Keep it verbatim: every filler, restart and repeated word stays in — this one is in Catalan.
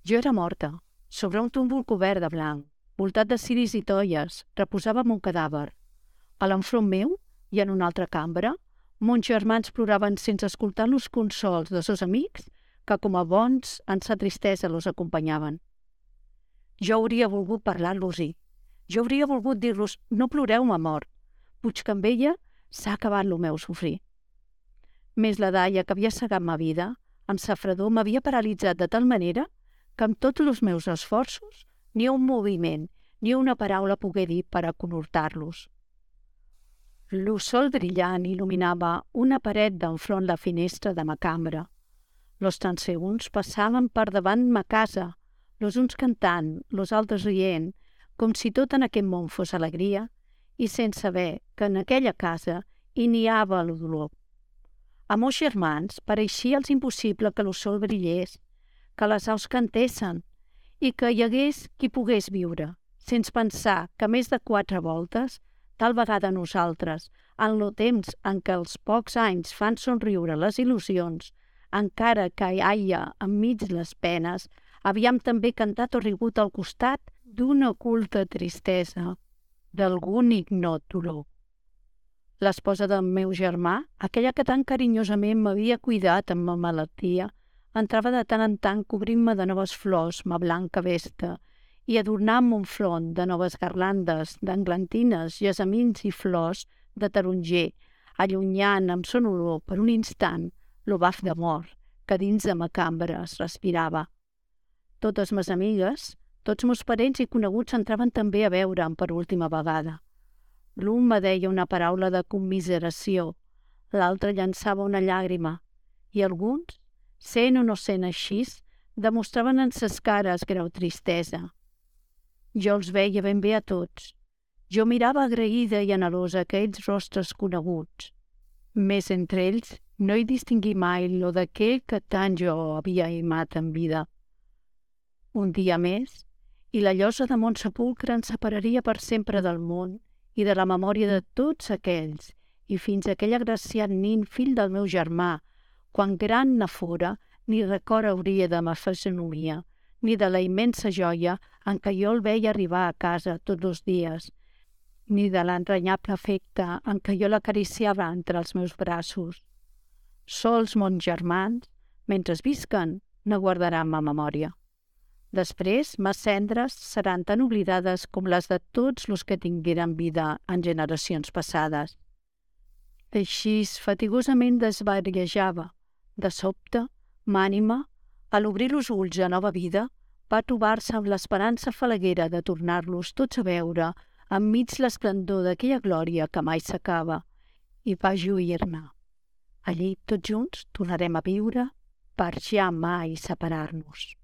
Jo era morta, sobre un túmul cobert de blanc, voltat de ciris i tolles, reposava mon cadàver. A l'enfront meu, i en una altra cambra, mons germans ploraven sense escoltar los consols de sos amics que, com a bons, en sa tristesa los acompanyaven. Jo hauria volgut parlar-los-hi. Jo hauria volgut dir-los: no ploreu, ma mort. Puig que amb ella s'ha acabat lo meu sofrir. Més la daia que havia segat ma vida, amb sa fredor m'havia paralitzat de tal manera que amb tots els meus esforços ni un moviment ni una paraula pogué dir per a conhortar-los. Lo sol brillant il·luminava una paret d'enfront la finestra de ma cambra. Los transeünts passaven per davant ma casa, los uns cantant, los altres rient, com si tot en aquest món fos alegria, i sense saber que en aquella casa hi niava el dolor. A mos germans pareixia els impossible que lo sol brillés, que les aus cantessen i que hi hagués qui pogués viure, sense pensar que més de quatre voltes, tal vegada nosaltres, en lo temps en què els pocs anys fan somriure les il·lusions, encara que hi haia enmig les penes, havíem també cantat o rigut al costat d'una oculta tristesa, d'algun ignot dolor. L'esposa del meu germà, aquella que tan carinyosament m'havia cuidat amb ma malaltia, entrava de tant en tant cobrint-me de noves flors, ma blanca vesta, i adornant mon front de noves garlandes, d'englantines, gessamins i flors de taronger, allunyant amb son olor per un instant lo baf d'amor que dins de ma cambra es respirava. Totes mes amigues, tots meus parents i coneguts entraven també a veure'm per última vegada. L'un me deia una paraula de commiseració, l'altre llançava una llàgrima, i alguns, sent o no sent així, demostraven en ses cares greu tristesa. Jo els veia ben bé a tots. Jo mirava agraïda i anhelosa aquells rostres coneguts. Més entre ells no hi distingí mai lo d'aquell que tant jo havia aimat en vida. Un dia més, i la llosa de mon sepulcre ens separaria per sempre del món i de la memòria de tots aquells, i fins a aquell agraciat nin fill del meu germà, quan gran ne fora, ni record hauria de ma fisonomia, ni de la immensa joia en què jo el veia arribar a casa tots els dies, ni de l'entranyable afecte en què jo l'acariciava entre els meus braços. Sols mons germans, mentre visquen, ne guardaran ma memòria. Després, mes cendres seran tan oblidades com les de tots los que tingueren vida en generacions passades. Així, fatigosament desvariejava. De sobte, m'ànima, a l'obrir los ulls a nova vida, va trobar-se amb l'esperança falaguera de tornar-los tots a veure enmig l'esplendor d'aquella glòria que mai s'acaba, i va lluir-ne. Allí, tots junts, tornarem a viure per ja mai separar-nos.